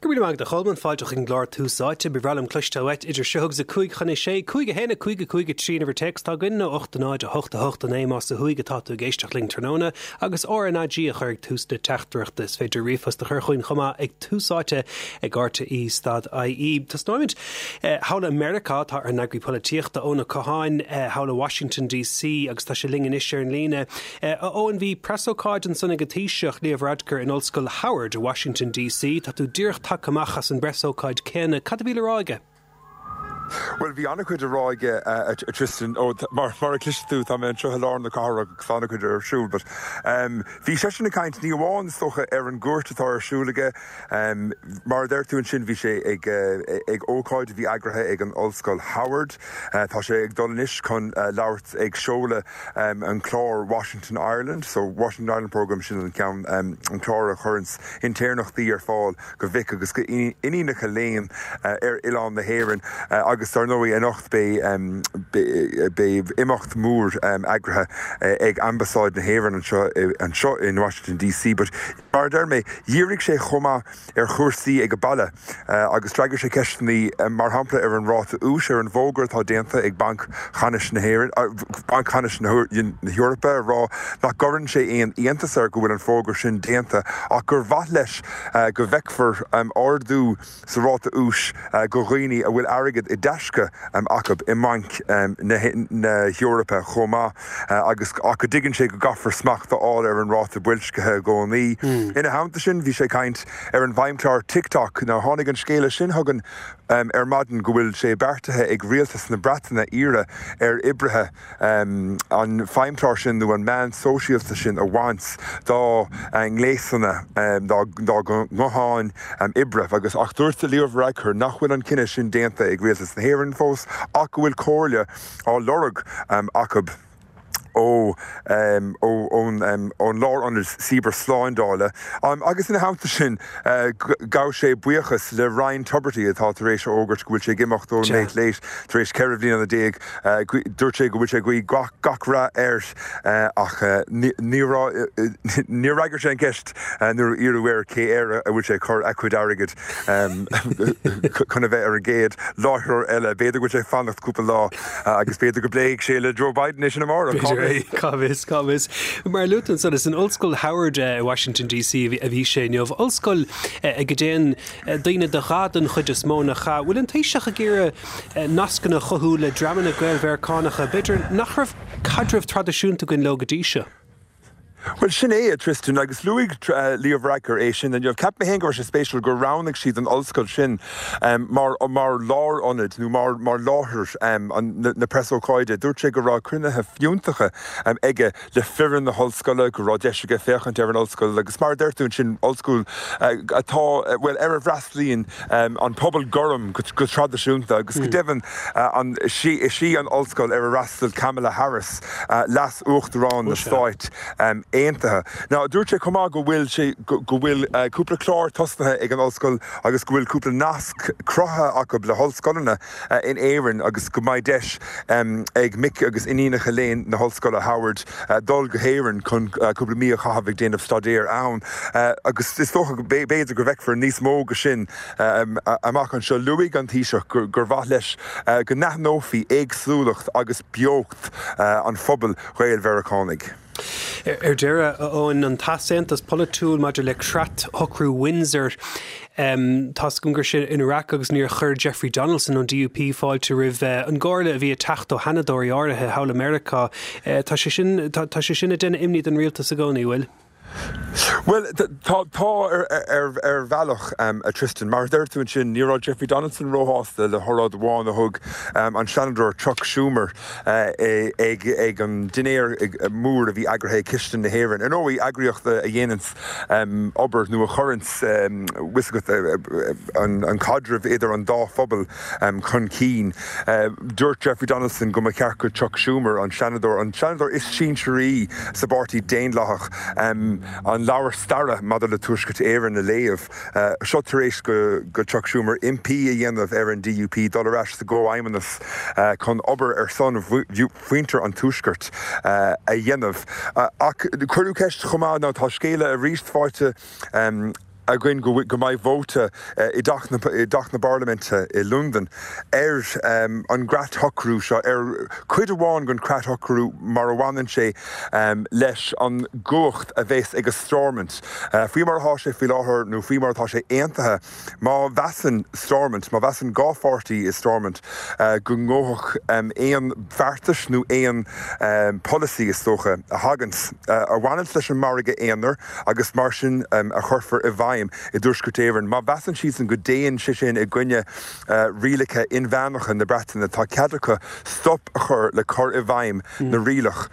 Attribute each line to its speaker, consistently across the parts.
Speaker 1: Go raibh míle maith agat a Cholmáin, fáilte chuig an gclár Tús Áite. Ba bhreá liom cloisteáil uait idir seo agus a 5 chun a 6, 5 1 5 5 3 an uimhir téacs atá againn nó 8 0 8 8 9 más ó thuaidh atá tú ag éisteacht linn tráthnóna agus RnaG a chur ag tús na teachtaireachta. Is féidir ríomhphost a chur chugainn chomh maith ag Tús Áite ag rte stad ie. Tosnóimid thall i Meiriceá, tá ár n-eagraí polaitíochta Eoin Ó Catháin thall i Washington DC agus tá sé linn anois ar an líne. A Eoin, bhí preasócáid ansan ag an Taoiseach, Leo Varadkar in Ollscoil Howard i Washington DC. Tá tú díreach tagtha amach as an bpreasócáid céanna. Cad a bhí le rá aige?
Speaker 2: Bhuel, bhí an-chuid le rá aige, a Tristan. Ó, mar a chloisfidh tú, tá mé anseo i lár na cathrach agus tá an-chuid ar siúl. But bhí seisean ag caint, ní amháin, is dócha, ar an gcuairt atá ar siúl aige. Mar a deir tú ansin, bhí sé ag ag ócáid a bhí eagraithe ag an Ollscoil Howard. Tá sé ag dul anois chun labhairt ag seoladh an clár Washington Ireland, so Washington Ireland Programme, sin an ceann, an clár a chuireanns intéirneachtaí ar fáil go mhic agus go iníonacha léinn ar oileán na hÉireann agus dar ndóigh anocht beidh beidh imeacht mór eagraithe ag Ambasáid na hÉireann anseo anseo in Washington DC. But mar a deir mé, dhírigh sé chomh maith ar chúrsaí ag baile agus d'fhreagair sé ceisteanna mar shampla ar an ráta úis, ar an bhfógra atá déanta ag Banc Cheannais na hÉireann, Banc Ceannais na hEorpa ag rá nach gcuireann sé aon iontas air go bhfuil an fógra sin déanta ach gur mhaith leis go bhfeicfear ardú sa ráta úis go dhaoine a bhfuil airgead i dtaisce acu i mbainc na hEorpa chomh maith agus ach go dtuigeann sé go gcaithfear smacht a fháil ar an ráta boilscithe i gcónaí. Ina theannta sin, bhí sé ag caint ar an bhfeidhmchlár TikTok. Now tháinig an scéala sin chugainn ar maidin go bhfuil sé beartaithe ag rialtas na Breataine iarraidh ar oibrithe an feidhmchlár sin nó an meán sóisialta sin a bhaint dá ngléasanna, dá ngutháin oibre agus ach dúirt Leo Varadkar nach bhfuil an cinneadh sin déanta ag Rialtas na hÉireann fós ach go bhfuil comhairle á lorg acu ó ón Lárionad Cibearshlándála agus ina theannta sin ghabh sé buíochas le Ryan Tubridy atá tar éis a fhógairt go bhfuil sé ag imeacht ón Late Late tar éis 14 bhliana. Dúirt sé go bhfuil sé ag guí gach rath air ach níor fhreagair sé an cheist nuair a iarradh air cé air a bhfuil sé ag cur a chuid airgid chun a bheith ar an gcéad láithreoir eile. B'fhéidir go bhfuil sé ag fanacht cúpla lá agus b'fhéidir go bpléifidh sé le Joe Biden é sin amárach.
Speaker 1: Cá bhfios? Cá bhfios, cá bhfios. Mar a luaigh tú ansan, is in Ollscoil Howard i Washington DC a bhí sé inniu. Ollscoil ag a dtéann daoine de dhath den chuid is mó, nach ea? Bhfuil an Taoiseach ag iarraidh nascanna a chothú le dreamanna Gael-Mheiriceánacha, b'fhéidir, nach raibh caidreamh traidisiúnta againn leo go dtí seo.
Speaker 2: Bhuel, sin é, a Tristan, agus luaigh Leo Varadkar é sin inniu. Cheap mé féin go raibh sé spéisiúil gur roghnaigh siad an ollscoil sin mar mar lárionad nó mar mar láthair na preasócáide. Dúirt sé go raibh cruinnithe fiúntacha aige le foireann na hollscoile, go raibh deis aige féachaint ar an ollscoil agus mar a deir tú ansin, ollscoil atá, bhuel, ar a bhfreastalaíonn an pobal gorm go traidisiúnta agus go deimhin an, is í an ollscoil ar a fhreastail Kamala Harris, Leas-Uachtarán na Stáit Aontaithe. Now, dúirt sé chomh maith go bhfuil sé, go bhfuil cúpla clár tosnaithe ag an ollscoil agus go bhfuil cúpla nasc cruthaithe acu le hollscoileanna in Éirinn agus go mbeidh deis ag mic agus iníonacha léinn na hOllscoile Howard dul go hÉirinn chun cúpla mí a chaitheamh ag déanamh staidéir ann agus is dócha go b'fhéidir go bhfeicfear níos mó de sin amach anseo. Luaigh an Taoiseach gur mhaith leis go n-aithneofaí éagsúlacht agus beocht an phobail Ghael-Mheiriceánaigh.
Speaker 1: Ar deireadh, a Eoin, an t-easaontas polaitiúil maidir le Creat-Shocrú Windsor, tá's agam gur sin ina raic agus níor chuir Jeffrey Donaldson ón DUP fáilte roimh an gcomhairle a bhí ag teacht ó sheanadóirí áirithe thall i Meiriceá. Tá sé sin, tá sé sin ag déanamh imní don rialtas i gcónaí, bhfuil?
Speaker 2: Bhuel, tá, tá ar bhealach, a Tristan. Mar a deir tú ansin, ní raibh Jeffrey Donaldson róshásta le hóráid amháin a thug an Seanadóir Chuck Schumer ag an dinnéar mór a bhí eagraithe ag Cistin na hÉireann. Ar ndóigh, eagraíocht a dhéananns obair nó a chuireanns, bhfuil 's agat, an caidreamh idir an dá phobal chun cinn. Dúirt Jeffrey Donaldson go mba cheart go Chuck Schumer, an Seanadóir, an Seanadóir is sinsearaí sa bPáirtí Daonlathach, an leabhar staire maidir le Tuaisceart Éireann a léamh. Seo tar éis go Chuck Schumer impí a dhéanamh ar an DUP dul ar ais sa gComhfheidhmeannas chun obair ar son mhuintir an Tuaiscirt a dhéanamh. Ach cuireadh ceist chomh maith, nó tá scéala arís faighte. againn go mbeidh vóta i dTeach na i dTeach na bParlaiminte i Londain ar an gcreatshocrú seo, ar chuid amháin den chreatshocrú mar a bhaineann sé leis an gcumhacht a bheas ag Stormont. Faoi mar atá sé faoi láthair nó faoi mar atá sé aontaithe, Má mheasann Stormont, má mheasann 2 pháirtí i Stormont go ngabhfadh aon bheartais nó aon pholasaí, is dócha, a thaganns, a bhaineanns leis an margadh aonair agus mar sin a chuirfear i bhfeidhm i dTuaisceart Éireann, má mheasann siadsan go dtéann sé sin i gcoinne rialacha inmheánacha na Breataine, tá cead acu stop a chur le cur i bhfeidhm na rialach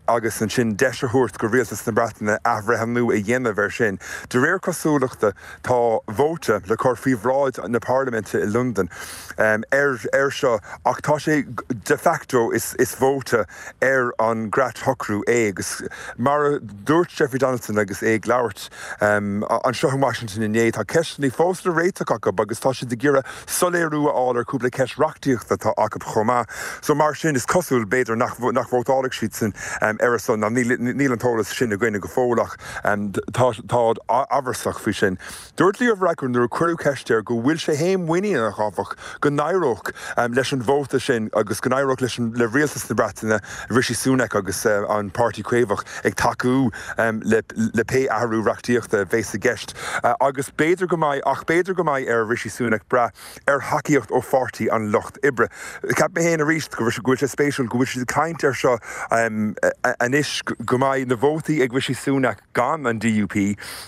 Speaker 2: agus ansin deis a thabhairt go Rialtas na Breataine athbhreithniú a dhéanamh air sin. De réir cosúlachta, Tá vóta le cur faoi bhráid na Parlaiminte i Londain air seo ach tá sé de facto is vóta ar an gcreatshocrú é agus mar a dúirt Jeffrey Donaldson agus é ag labhairt anseo in Washington inné, tá ceisteanna fós le réiteach acu agus tá siad ag iarraidh soiléiriú a fháil ar chúpla ceist reachtaíochta atá acu chomh maith. So mar sin is cosúil, b'fhéidir, nach vótálfaidh siadsan ar a son. Níl an t-eolas sin againne go fóill ach. Táid amhrasach faoi sin. Dúirt Leo Varadkar nuair a cuireadh ceist air go bhfuil sé féin muiníneach, áfach, go n-éireodh leis an vóta sin agus go n-éireodh leis an le rialtas na Breataine, Rishi Sunak agus an Páirtí Caomhach ag tacú le le pé athrú reachtaíochta a bheas i gceist. Agus b'fhéidir go mbeidh, ach b'fhéidir go mbeidh ar Rishi Sunak brath ar thacaíocht ó Pháirtí an Lucht Oibre. Cheap mé féin arís go bhfuil sé spéisiúil go bhfuil siad ag caint air seo anois, go mbeidh na vótaí ag Rishi Sunak gan an DUP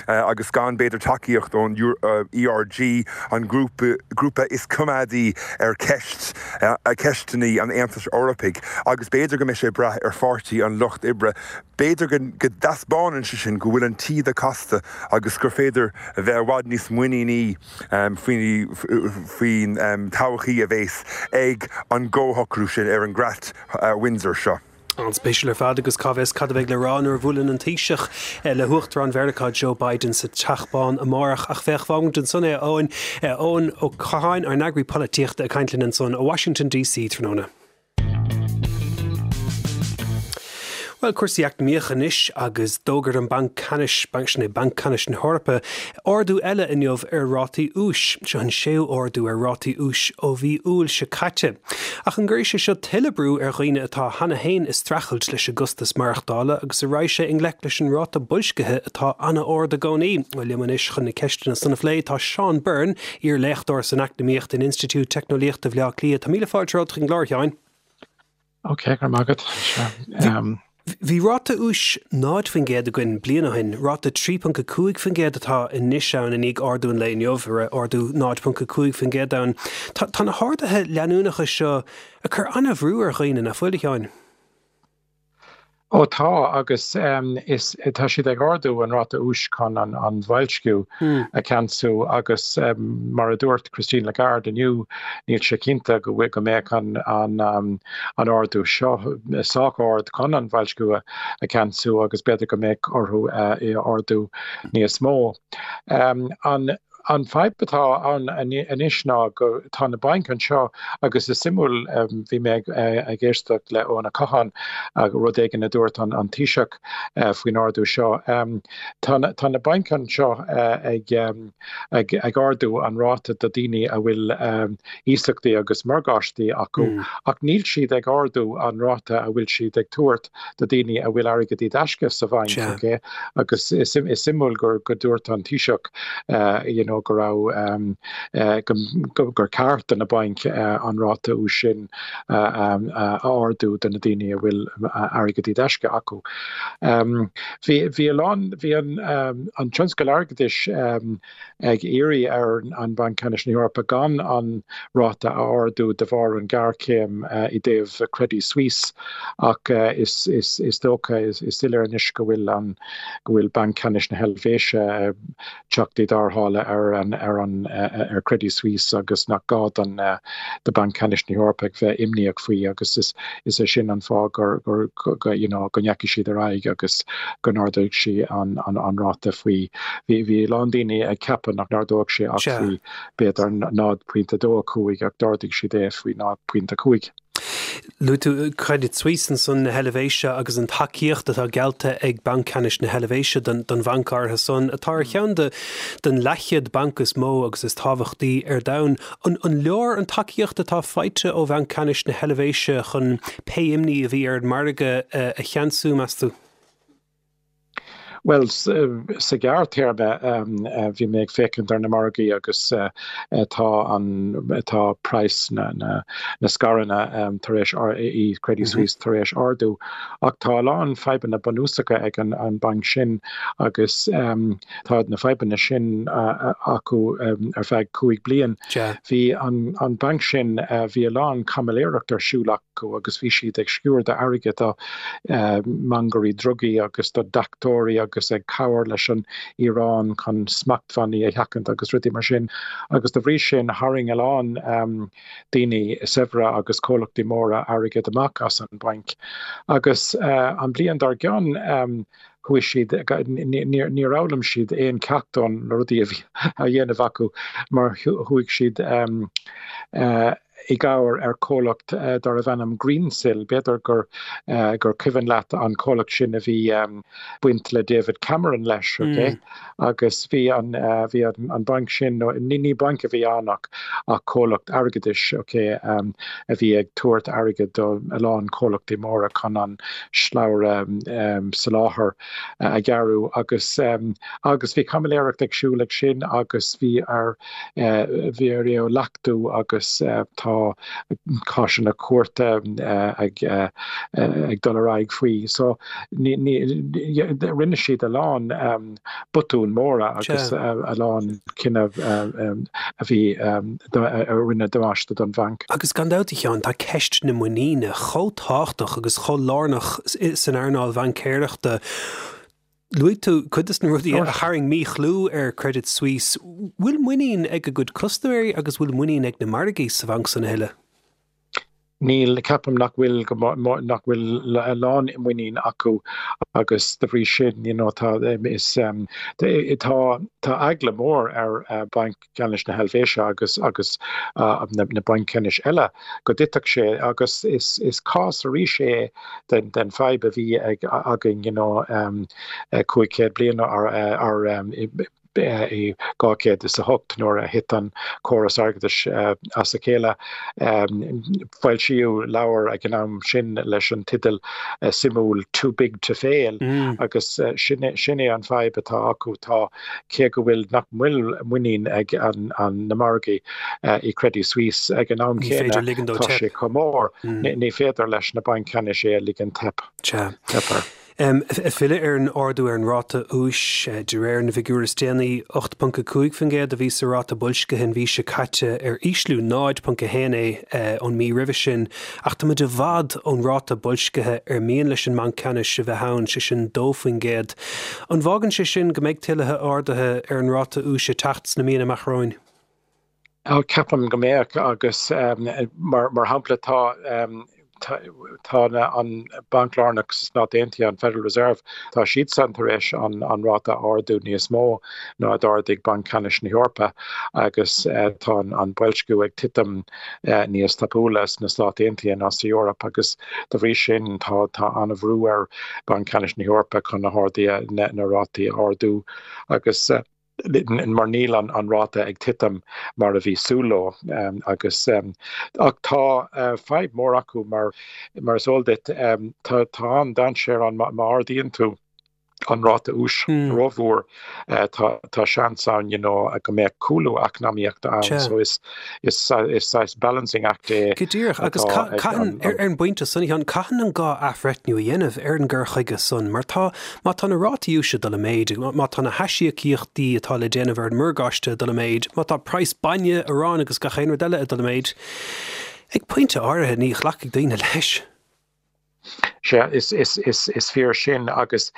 Speaker 2: agus gan b'fhéidir tacaíocht ón ERG, an grúpa is coimeádaí ar cheist ceisteanna an Aontais Eorpaigh, agus b'fhéidir go mbeidh sé ag brath ar Pháirtí an Lucht Oibre. B'fhéidir go dtaispeánann sé sin go bhfuil an taoide casta agus gur féidir a bheith i bhfad níos muiníní faoin todhchaí a bheas ag an gcomhshocrú sin ar an gcreat Windsor seo.
Speaker 1: An-spéisiúil ar fad agus cá bhfios cad a bheidh le rá nuair a bhuaileann an Taoiseach le hUachtarán Mheiriceá Joe Biden sa Teach Bán amárach. Ach féach, fágfaimid ansan é, a Eoin. Eoin Ó Catháin, ár n-eagraí polaitíochta ag caint linn ansan ó Washington DC tráthnóna. Bhuel, cúrsaí eacnamaíocha anois agus d'fhógair an Banc Ceannais, sin é Banc Ceannais na hEorpa, ardú eile inniu ar rátaí úis. Seo an séú ardú ar rátaí úis ó mhí Iúil seo caite. Ach an gcuirfidh sé seo tuilleadh brú ar dhaoine atá cheana féin ag streachailt leis an gcostas maireachtála agus an raghaidh sé i ngleic leis an ráta boilscithe atá an-ard i gcónaí? Bhuel, liom anois chun na ceisteanna san a phlé tá Seán Byrne, Iar-léachtóir san Eacnamaíocht in Institiúid Teicneolaíochta Bhaile Átha Cliath. Tá míle fáilte romhat chuig an gclár, a Sheáin.
Speaker 3: Ok, go raibh maith agat.
Speaker 1: Bhí ráta úis 0% againn bliain ó shin, ráta 3.5% atá anois ann i ndiaidh ardú an lae inniu, a raibh ardú 0.5% ann. Tá na harduithe leanúnacha seo ag cur an-bhrú ar dhaoine, nach bhfuil, a Sheáin?
Speaker 3: Ó tá, agus is tá siad ag ardú an ráta úis chun an bhoilsciú a cheansú agus mar a dúirt Christine Lagarde inniu, níl sé cinnte go bhfuil go mbeadh an an ardú seo sách ard chun an bhoilsciú a cheansú agus b'fhéidir go mbeadh orthu é a ardú níos mó. An An fadhb atá ann anois ná go tá na bainc anseo agus is suimiúil bhí mé ag éisteacht le Eoin Ó Catháin rud éigin a dúirt an Taoiseach faoin ardú seo. Tá tá na bainc anseo ag ag ag ardú an ráta do daoine a bhfuil iasachtaí agus morgáistí acu ach níl siad ag ardú an ráta a bhfuil siad ag tabhairt do daoine a bhfuil airgead i dtaisce sa bhainc, ok? Agus is suimiúil gur go dúirt an Taoiseach you know go raibh go gur ceart do na bainc an ráta úis sin a ardú do na daoine a bhfuil airgead i dtaisce acu. Bhí bhí a lán bhí an an tionscal airgeadais ag iarraidh ar an Banc Ceannais na hEorpa gan an ráta a ardú de bharr an ghéarchéim i dtaobh Credit Suisse ach is dócha, is soiléir anois go bhfuil an go bhfuil Banc Ceannais na hEilvéise ag teacht i dtarrthála ar an ar an ar Credit Suisse agus nach gá don do Banc Ceannais na hEorpa ag bheith imníoch faoi agus is is é sin an fáth gur gur go you know go ndeachaigh siad ar aghaidh agus go n-ardaigh sí an an ráta faoi Bhí bhí a lán daoine ag ceapadh nach n-ardódh sé ach faoi b'fhéidir 0.25 ach d'ardaigh siad é faoi 0.5.
Speaker 1: Luaigh tú Credit Suisse ansan na hEilvéise agus an tacaíocht atá geallta ag Banc Ceannais na hEilvéise don bhanc áirithe san, atá ar cheann de den leathchéad banc is mó agus is tábhachtaí ar domhan. An leor an tacaíocht atá faighte ó Bhanc Ceannais na hEilvéise chun pé imní a bhí ar an margadh a cheansú, meas tú?
Speaker 3: Bhuel, sa ghearrthéarma, bhí mé ag féachaint ar na margaí agus tá an, tá praghas na, na scaireanna tar éis, i Credit Suisse tar éis ardú. Ach tá a lán fadhbanna bunúsacha ag an an banc sin agus tá na fadhbanna sin acu ar feadh 5 bliain. Bhí an an banc sin, bhí a lán caimiléireacht ar siúl acu agus bhí siad ag sciúradh airgid do mhangairí drugaí agus do deachtóirí agus ag cabhair leis an Iaráin chun smachtbhannaí a sheachaint agus rudaí mar sin agus de bhrí sin tharraing a lán daoine saibhre agus comhlachtaí móra airgead amach as an bhainc. Agus an bhliain dár gcionn chuaigh siad, níor fhoghlaim siad aon cheacht ó na rudaí a bhí á dhéanamh acu mar chuaigh siad i gcabhair ar chomhlacht darbh ainm Greensill. B'fhéidir gur gur cuimhin leat an comhlacht sin a bhí baint le David Cameron leis, ok? Agus bhí an bhí an banc sin, nó ní ní banc a bhí ann ach ach comhlacht airgeadais, ok, a bhí ag tabhairt airgead do a lán comhlachtaí móra chun an slabhra soláthair a ghearradh agus agus bhí caimiléireacht ag siúl ag sin agus bhí ar bhí ar é a leachtú agus tá cásanna cúirte ag ag dul ar aghaidh faoi. So ní ní rinne siad a lán botúin móra agus a lán cinneadh a bhí a rinne damáiste don bhanc.
Speaker 1: Agus gan dabht, a Sheáin, tá ceist na muiníne chomh tábhachtach agus chomh lárnach san earnáil bhaincéireachta. Luaigh tú cuid de na rudaí a tharraing míchlú ar Credit Suisse. Bhfuil muinín ag a gcuid custaiméirí agus bhfuil muinín ag na margaí sa bhanc san a thuilleadh?
Speaker 3: Níl, ceapaim nach bhfuil go nach bhfuil a lán muinín acu agus de bhrí sin you know tá is tá tá eagla mór ar Banc Ceannais na hEilvéise agus agus na na bainc ceannais eile go dtitfeadh sé agus is is cás arís é den den fadhb a bhí ag againn you know 500 bliain ar ar i 208 nuair a thit an córas airgeadais as a chéile. Foilsíodh leabhar ag an am sin leis an teideal suimiúil Too Big to Fail agus sin é an fadhb atá acu, tá, cé go bhfuil, nach bhfuil muinín ag na margaí i Credit Suisse ag an am céanna, tá sé chomh mór, ní féidir leis na bainc ceannais é a ligean teip air.
Speaker 1: Ag filleadh ar an ardú ar an ráta úis, de réir na bhfigiúr is déanaí, 8.5% a bhí sa ráta boilscithe an mhí seo caite, ar ísliú 0.1 é ón mí roimhe sin, ach tá muid i bhfad ón ráta boilscithe ar mian leis an mBanc Ceannais a bheith ann, sé sin 2%. An bhfágann sé sin go mbeidh tuilleadh arduithe ar an ráta úis ag teacht sna míonna amach romhainn?
Speaker 3: Ceapaim go mbeadh agus mar shampla tá tá an Banc Lárnach sna Stáit Aontaithe, an Federal Reserve, tá siadsan tar éis an ráta a ardú níos mó ná a d'ardaigh Banc Ceannais na hEorpa agus tá an boilsciú ag titim níos tapúla sna Stáit Aontaithe ná sa Eoraip agus de bhrí sin tá tá an-bhrú ar Banc Ceannais na hEorpa chun na hardaithe na rátaí a ardú agus mar níl an ráta ag titim mar a bhí súil leo agus ach tá fadhb mór acu mar mar is eol duit tá tá an-dainséar ann má ardaíonn tú an ráta úis rómhór tá tá seans ann you know go mbeadh cúlú eacnamaíochta ann so is is is saghas balancing act é
Speaker 1: Go díreach agus caitheann ar an bpointe san a Sheáin caitheann an gá athbhreithniú a dhéanamh ar an gcur chuige san mar tá Má tá na rátaí úis ag dul i méid, má tá na haisíocaíochtaí atá le déanamh ar an morgáiste ag dul i méid, má tá praghas bainne, aráin agus gach aon rud eile ag dul i méid, ag pointe áirithe ní ghlacfaidh daoine leis.
Speaker 3: Sea, is fíor sin agus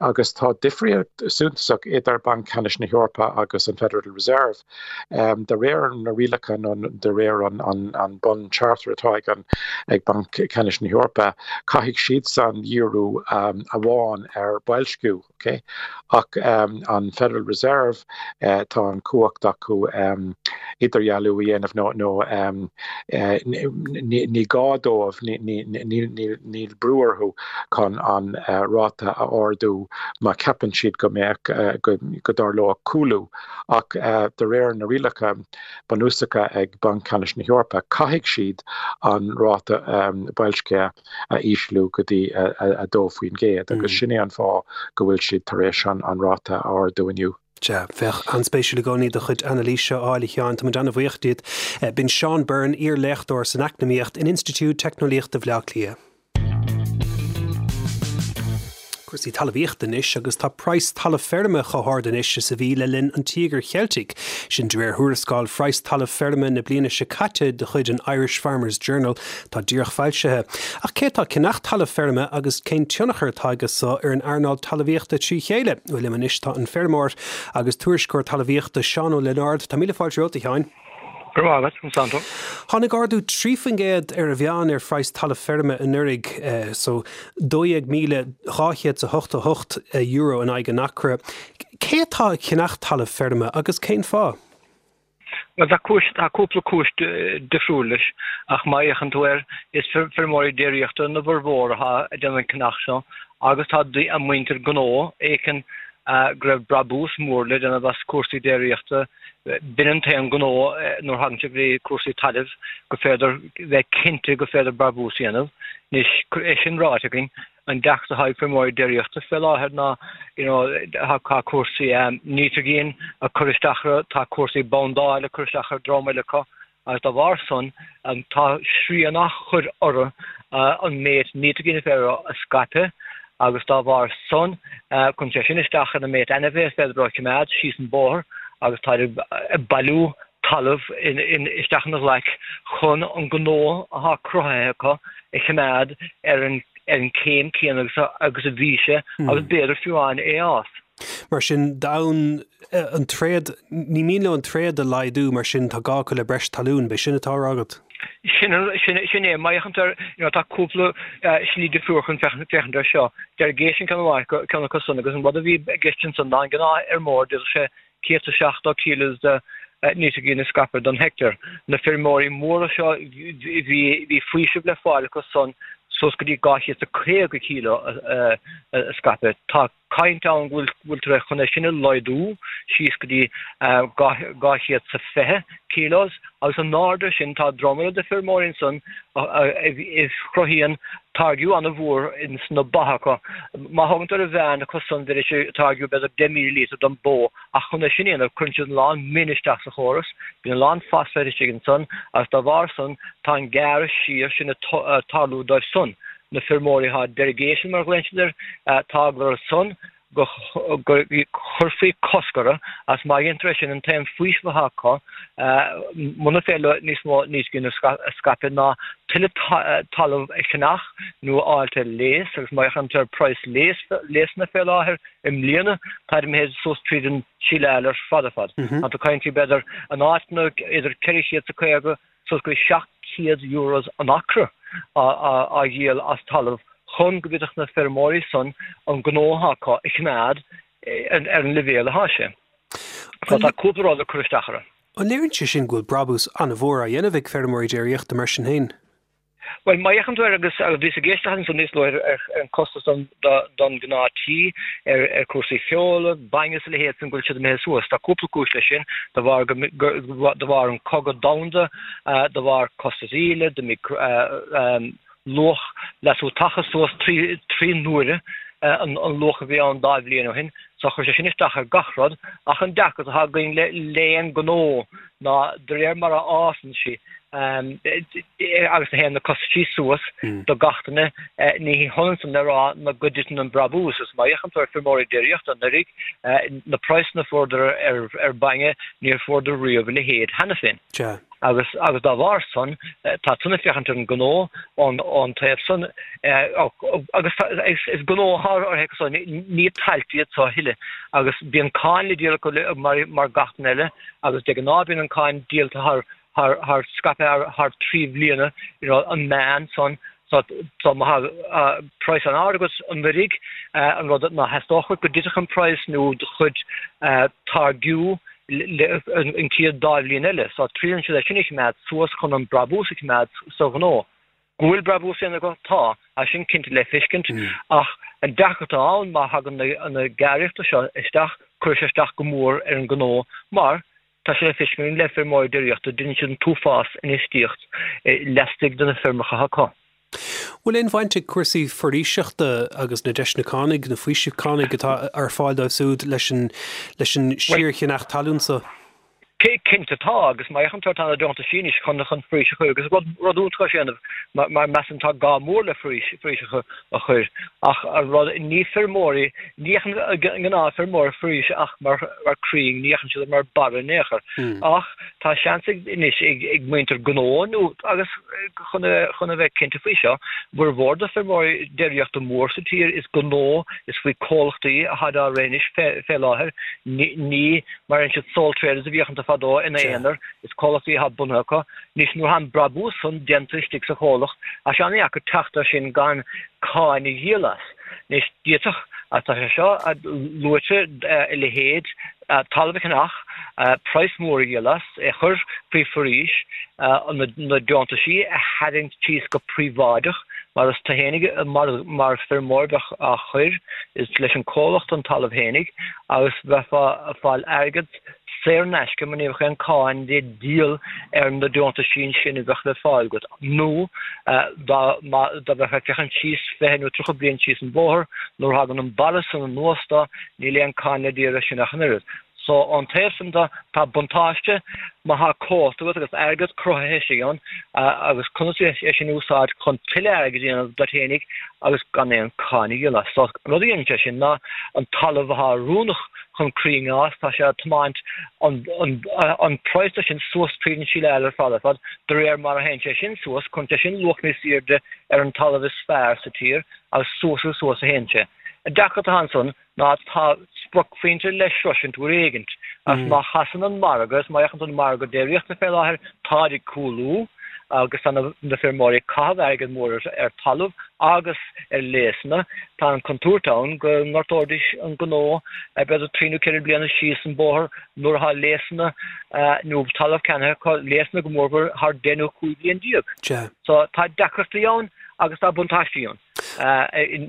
Speaker 3: agus tá difríocht suntasach idir Banc Ceannais na hEorpa agus an Federal Reserve. De réir na rialacha nó de réir an bun charter atá ag an ag Banc Ceannais na hEorpa, caithfidh siadsan díriú amháin ar boilsciú. Ok. Ach an Federal Reserve, tá an chumhacht acu idirdhealú a dhéanamh nó nó ní gá dóibh, níl brú orthu chun an ráta a ardú má cheapann siad go mbeadh, go dtarlódh cúlú. Ach de réir na rialacha bunúsacha ag Banc Ceannais na hEorpa, caithfidh siad an ráta boilscithe a ísliú go dtí 2% agus sin é an fáth go bhfuil siad tar éis an ráta a ardú inniu.
Speaker 1: Sea, bheadh an-spéisiúil i gcónaí do chuid anailíse a fháil, a Sheáin. Tá muid an-bhuíoch díot. B'in Seán Byrne, iar-léachtóir san Eacnamaíocht in Institiúid Teicneolaíochta Bhaile Átha Cliath. Cúrsaí talmhaíochta anois agus tá praghas talamh feirme chomh hard anois is a bhí le linn an Tíogair Cheiltigh. Sin de réir thuarascáil phraghas talamh feirme na bliana seo caite de chuid an Irish Farmers Journal atá díreach foilsithe. Ach cé atá ag ceannach talamh feirme agus cén tionchar atá aige so ar an earnáil talmhaíochta trí chéile? Bhuel liom anois tá an feirmeoir agus tuairisceoir talmhaíochta Seán Ó Lionáird. Tá míle fáilte romhat a Sheáin.
Speaker 4: Go raibh maith agat, an Santo.
Speaker 1: Tháinig ardú 3% ar an mheán ar phraghas talamh feirme anuraidh, so €12,288 in aghaidh an acra. Cé atá ag ceannach talamh feirme agus cén fáth?
Speaker 4: Bhuel, tá cúis, tá cúpla cúis difriúil leis, ach má fhéachann tú air, is feirmeoirí déiríochta ina bhformhór atá ag déanamh an ceannach seo agus tá an muintir gnó a fheiceann go raibh brabús mór le déanamh as cúrsaí déiríochta. B'in an t-aon gnó nuair thagann sé go dtí cúrsaí tailimh go féidir bheith cinnte go féidir brabús a dhéanamh. Anois, é sin ráite againn, an deacracht atá ag feirmeoirí déiríochta fé láthair ná you know tá cúrsaí nítrigin ag cur isteach orthu, tá cúrsaí bondáil ag cur isteach ar dream eile acu agus dá bharr san tá srian á chur orthu an méid nítrigin is féidir a scaipeadh agus dá bharr san cuireann sé sin isteach ar an méid ainmhithe is féidir leo a choimeád síos an bóthar agus táid ag bailiú talamh isteach ina ghlaic chun an gnó atá cruthaithe acu a choimeád ar an céim céanna agus a bhí sé agus b'fhéidir fiú amháin é a fhás.
Speaker 1: Mar sin, d'fhonn an tréad, ní mian leo an tréad a laghdú, mar sin tá gá acu le breis talún, b'é sin atá á rá agat?
Speaker 4: Sin, sin é. Má fhéachann tú air, you know, tá cúpla slí difriúil chun féachaint air seo. Derogation ceann amháin acu, ceann acu san, agus an rud a bhí i gceist ansan ná an gnáthfheirmeoir, d'fhéadfadh sé 170 kilos de nítrigin a scaipeadh don heicteár. Na feirmeoirí móra seo, bhí, bhí faoiseamh le fáil acu san suas go dtí 250 kilo a scaipeadh. Tá. caint ann go bhfuiltear chun é sin a laghdú síos go dtí 220 kilos agus in airde sin tá dream eile de feirmeoirí ansan a chruthaíonn táirgiú an-mhór ins na ba acu. Má thógann tú ar an mheán acu san bheidís ag táirgiú b'fhéidir 10,000 líotar don bó ach chun é sin a dhéanamh cuireann siad a lán min isteach sa chóras, bíonn a lán phosphate istigh ansan agus dá bharr san tá an gearradh siar sin ag tarlú dóibh san. Na feirmeoirí atá derogation mar a ghlaonn siad air, tá eagla orthu san go gcuirfí cosc orthu agus má dhéantar é sin an t-aon faoiseamh atá acu muna féidir leo níos mó nítrigin a scaipeadh ná tuilleadh talamh a cheannach nó a fháilt ar léas agus má fhéachann tú ar praghas léasanna fé láthair i mbliana táid imithe suas tríd an síleáil ar fad ar fad. Tá tú ag caint faoi b'fhéidir in áiteanna idir 450 suas go 700 euros an acra á dhíol as talamh chun go bhféadfadh na feirmeoirí san an gnó atá acu a choimeád ar an leibhéal atá sé. So tá cúpla rud ag cur isteach orthu.
Speaker 1: An léiríonn sé sin go bhfuil brabús an-mhór á dhéanamh ag feirmeoirí déiríochta mar sin féin?
Speaker 4: Bhuel, má fhéachann tú air, agus bhíos ag éisteacht ansan níos luaithe ar an costas don gnáth tí, ar cúrsaí feola, bainne is a leithéid san, go bhfuil siad imithe suas. Tá cúpla cúis leis sin, de bharr de bharr an cogadh domhanda, de bharr costas íle, d'imigh luach leasú tacha suas 3 n-uaire an luach a bhí ann dá bhliain ó shin. So chuir sé sin isteach ar gach rud. Ach an deacracht atá againn le aon gnó ná de réir mar a fhásann sí. Agus a théann na costaisí suas do gach duine, ní hionann san le rá ná go dtiteann an brabús. Is má fhéachann tú ar feirmeoirí déiríochta anuraidh, na praghsanna a fuaireadar ar bainne, níor fuaireadar riamh a leithéid cheana féin. Agus agus dá bharr san, tá san ag féachaint ar an ngnó ón taobh san, agus is gnó atá orthu san, ní tailte iad seo a thuilleadh. Agus bíonn cáin le díol acu mar gach duine eile, agus de ghnáth bíonn an cáin díolta thar thar scaipthe thar 3 bhliana, you know, an meán san, so so má thá praghas an-ard agat anuraidh, an rud ná theastódh uait go dtitfeadh an praghas nó do chuid táirgiú an chéad dá bhliain eile, so triaileann siad é sin a choimeád suas chun an brabús a choimeád sa ghnó. Go bhfuil brabús á dhéanamh acu? Tá, tá sin cinnte le feiscint, ach an deacracht atá ann má thagann na gearraíochta seo isteach, cuirfidh sé isteach go mór ar an ngnó mar tá sé le feiscint le feirmeoirí déiríochta, déanann siad an t-uafás infheistíocht laistigh de na feirmeacha acu.
Speaker 1: Bhfuil aon bhaint ag cúrsaí foraoiseachta agus na deiseanna cánaigh, na faoisimh cánaigh atá ar fáil dóibh siúd leis an leis an síorcheannach talún so?
Speaker 4: Cinnte tá, agus má fhéachann tú ar tá na deontaisí anois chun chun foraois a chur, agus rud rud iontach é sin a dhéanamh, mar measaim tá gá mór le foraois foraois a a chur, ach an rud, ní feirmeoirí, ní fhéachann an gnáthfheirmeoir ar foraois ach mar mar crainn, ní fhéachann siad mar barra in aon chor. Ach tá seans ag anois ag ag muintir gnó nó agus chun a chun a bheith cinnte faoi seo, formhór de feirmeoirí déiríochta mór sa tír is gnó, is faoi comhlachtaí atá á rith anois fé fé láthair, ní ní Mar a deireann siad sole traders a bhíodh iontu fadó ina aonar, is comhlachtaí atá bunaithe acu. Anois nuair atá an brabús san déanta istigh sa chomhlacht, tá sé an-dheacair teacht air sin gan cáin a dhíol as. Anois d'fhéadfadh, agus tá sé seo luaite, a leithéid, talamh a cheannach, praghas mór a dhíol as, é a chur faoi foraois, na deontaisí a tharraingt síos go príobháideach, mar is tú fhéinig mar feirmeoir bheadh á chur, is leis an comhlacht an talamh fhéinig, agus bheifeá ag fáil airgead saor in aisce mar ní bheadh aon cáin le díol ar na deontaisí sin a bheadh le fáil agat nó dá dá mbeifeá ag féachaint síos 20 nó 30 bliain síos an bóthar nuair a thagann an barra san anuas do níl aon cáin le díol air sin ach an oiread. So ón taobh san de tá buntáiste má thá comhlacht agat agus airgead cruthaithe istigh ann agus conas é sin a úsáid chun tuilleadh airgid a dhéanamh duit fhéinig agus gan aon cáin a dhíol as. So an rud a dhéanann sé sin ná an talamh athá oiriúnach chun crainn a fhás, tá sé ag tiomáint an an praghas de sin suas tríd an síleáil ar fad ar fad, de réir mar a théann sé sin suas, cuireann sé sin luach níos airde ar an talamh is fearr sa tír agus suas agus suas a théann sé. An deacracht atá ansan ná tá spriocphointe le sroisint uair éigint, agus má chasann an margadh, is má fhéachann tú ar an margadh déiríochta fé láthair, táid ag cúlú agus tá na feirmeoirí ag caitheamh airgead mór ar talamh agus ar léasanna. Tá an contúirt ann go ngortóidís an gnó b'fhéidir 3 nó 4 bliana síos an bóthar nuair atá léasanna nó talamh ceannaithe acu, léasanna go mórmhór thar 10 nó 15 bliain. So tá deacrachtaí ann agus tá buntáistí ann.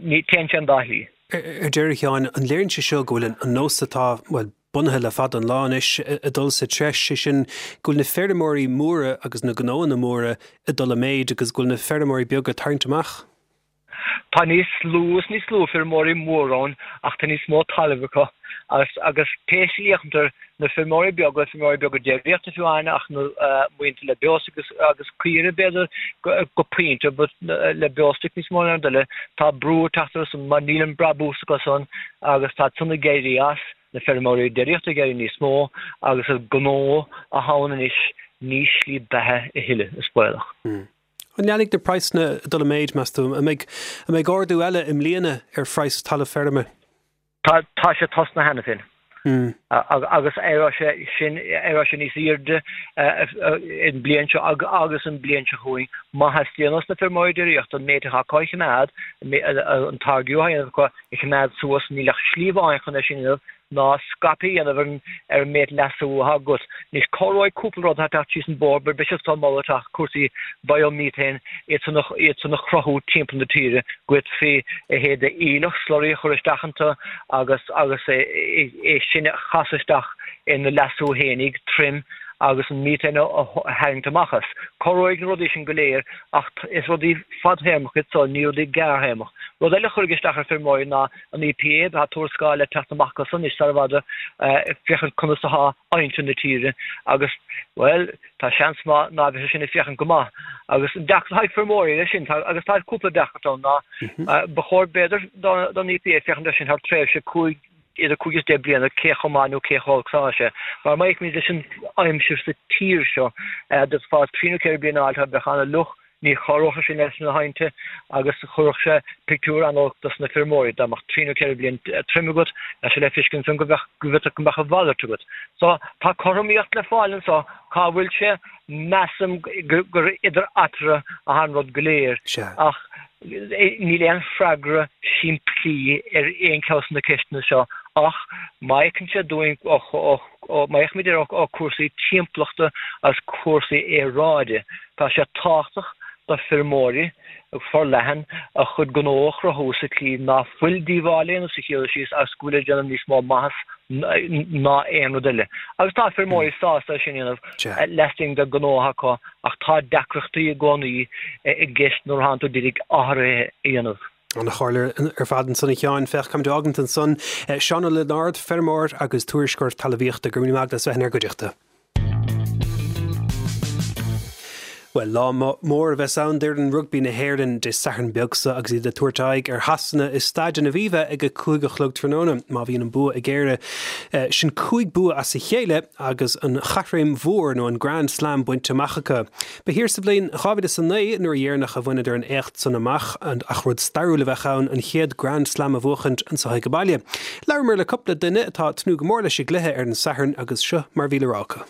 Speaker 4: Ní téann sé an dá shlí.
Speaker 1: Ar deireadh, a Sheáin, an léiríonn sé seo go bhfuil an nós atá, bhuel, bunaithe le fada an lá anois, ag dul sa treis, sé sin go bhfuil na feirmeoirí móra agus na gnóanna móra ag dul i méid agus go bhfuil na feirmeoirí beaga ag tarraingt amach?
Speaker 4: Tá níos lú is níos lú feirmeoirí móra ann ach tá níos mó talaimh acu agus agus pé slí a fhéachann tú air, na feirmeoirí beaga, feirmeoirí beaga déiríochta fiú amháin ach na muintir le beostoic agus caoire b'fhéidir go pointe but le beostoic níos mó ná aon rud eile, tá brú ag teacht orthu san mar níl an brabús acu san agus tá san ag éirí as, na feirmeoirí déiríochta ag éirí níos mó agus is gnó atá ann anois ní slí beatha a thuilleadh, is baolach.
Speaker 1: An leanfaidh na praghsanna ag dul i méid, meas tú? An mbeidh, an mbeidh ardú eile i mbliana ar phraghas talamh feirme?
Speaker 4: Tá, tá sé tosnaithe cheana féin. Agus éireoidh sé sin, éireoidh sé níos airde an bliain seo agus an bliain seo chugainn. Má theastaíonn ós na feirmeoirí déiríochta an méid atá acu a choimeád, an táirgiú atá á dhéanamh acu a choimeád suas, níl ach slí amháin chun é sin a dhéanamh ná scaipeadh a dhéanamh ar an méid leasú atá agat. Anois, cabhróidh cúpla rud atá ag teacht síos an bóthar, beidh sé á moladh teacht cúrsaí biomethane, iad san a, iad san a chruthú timpeall na tíre, go bhféadfaí a leithéid de aoileach, slurry a chur isteach iontu agus, agus é, é sin a chasadh isteach ina leasú fhéinig, troim. agus an methane a tharraingt amach as. Cabhróidh na rudaí sin go léir ach is rudaí fadthéarmach iad so, ní rudaí gearrthéarmach. Rud eile a chuirfidh isteach ar feirmeoirí ná an EPA, tá tuarascáil le teacht amach acu san anois sar i bhfad ag féachaint conas atá aibhneacha na tíre agus, bhuel, tá seans maith ná beidh sé sin ag féachaint go maith. Agus an deacracht atá ag feirmeoirí leis sin, agus tá cúpla deacracht ann, ná ba chóir b'fhéidir don EPA féachaint air sin thar tréimhse 5, idir 5 is 10 bliana cé chomh maith nó cé chomh holc is atá sé. Mar má fhéachaimid leis an aimsir sa tír seo, d'fhéadfá trí nó ceithre bliana a fháil bheadh an-fhliuch, ní chabhródh sé sin leis na haibhnte agus chuirfeadh sé pictiúr an-olc dos na feirmeoirí. Dá mbeadh trí nó ceithre bliain tirim agat, bheadh sé le feiscint ansan go mbeadh, go bhféadfadh go mbeadh a mhalairt agat. So, tá cothromaíocht le fáil anso, cá bhfuil sé? Measaim gur idir eatarthu atá an rud go léir. Ach níl aon freagra simplí ar aon cheann de na ceisteanna seo ach má fhéachann sé dúinn, má fhéachaimid ar ó cúrsaí timpeallachta agus cúrsaí aeráide, tá sé tábhachtach do feirmeoirí forleathan a chuid gnó a chruthú sa tslí ná fuil díobháil á dhéanamh sa chéad dul síos agus go bhfuil ag déanamh níos mó maitheas ná aon rud eile. Agus tá feirmeoirí sásta é sin a dhéanamh laistigh den ghnó acu ach tá deacrachtaí i gcónaí i gceist nuair atánn tú d'iarraidh athruithe a dhéanamh.
Speaker 1: Ana-chomhairle ar fad ansan a Sheáin. Féach, táimid á fhágaint ansan. Seán Ó Lionáird, feirmeoir agus tuairisceoir talmhaíochta, go raibh míle maith agat as bheith inár gcuideachta. Bhuel, lá mór a bheas ann d'fhoireann rugbaí na hÉireann Dé Sathairn beag seo agus iad ag tabhairt aghaidh ar Shasana i Staid an Aviva ag a 5 a chlog tráthnóna. Má bhíonn an bua ag Éire, sin 5 bua as a chéile agus an chaithréim mhór nó an Grand Slam bainte amach acu. Ba thiar sa bhliain 2009 nuair a dheireanach a bhaineadar an éacht san amach ach rud stairiúil a bheadh ann an chéad Grand Slam a bhuachaint anseo ag baile. Labhramar le cúpla duine atá ag tnúth go mór leis an gcluiche ar an Satharn agus seo mar bhí le rá acu.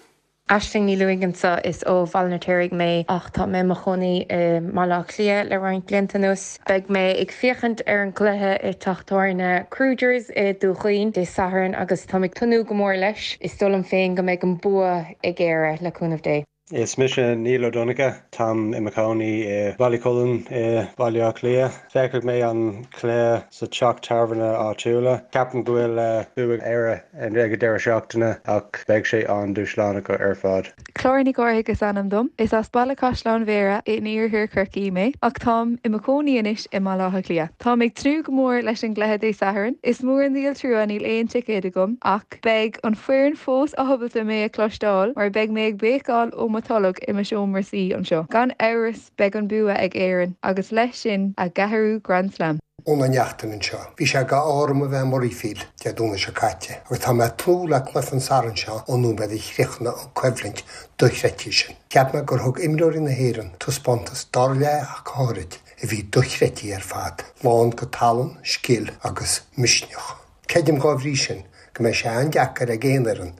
Speaker 5: Aisling Ní Lúing anseo, is ó Bhaile an Fheirtéaraigh mé ach tá mé i mo chónaí i mBaile Átha Cliath le roinnt blianta anuas. Beidh mé ag féachaint ar an gcluiche i teach tábhairne Kruger's i Dún Chaoin Dé Sathairn agus táim ag tnúth go mór leis. Is dóigh liom féin go mbeidh an bua ag Éire, le cúnamh Dé.
Speaker 6: Is mise Niall Ó Donncha. Táim i mo chónaí i Ballycullen i Baile Átha Cliath. Féachfaidh mé an cluiche sa teach tábhairne áitiúla. Ceapaim go bhfuil bua ag Éire ag an deireadh seachtaine ach beidh sé an-dúshlánach ar fad.
Speaker 7: Clára Nic Cárthaigh is ainm dom. Is as Baile Caisleáin Bhéarra in iarthar Chorcaí mé, ach táim i mo chónaí anois i mBaile Átha Cliath. Táim ag tnúth go mór leis an gcluiche Dé Sathairn. Is mór an díol trua níl aon ticéad agam, ach. Beidh an foireann fós ábalta mé a chloisteáil mar beidh mé ag béiceáil ó mo tholg i mo seomra suí anseo. Gan amhras beidh an bua ag Éirinn agus leis sin a gceathrú Grand Slam.
Speaker 8: Úna Neachtain anseo. Bhí sé d'ádh orm a bheith i Murrayfield Dé Domhnaigh seo caite agus tá mé ag tnúth le cluiche an Satharn seo ón nóiméad a chríochnaigh an coimhlint dochreidte sin. Cheap mé gur thug imreoirí na hÉireann taispeántas dara leath ach go háirid a bhí dochreidte ar fad, lán de tallann, scil agus misneach. Creidim dhá bhrí sin go mbeidh sé an-deacair ag aon fhoireann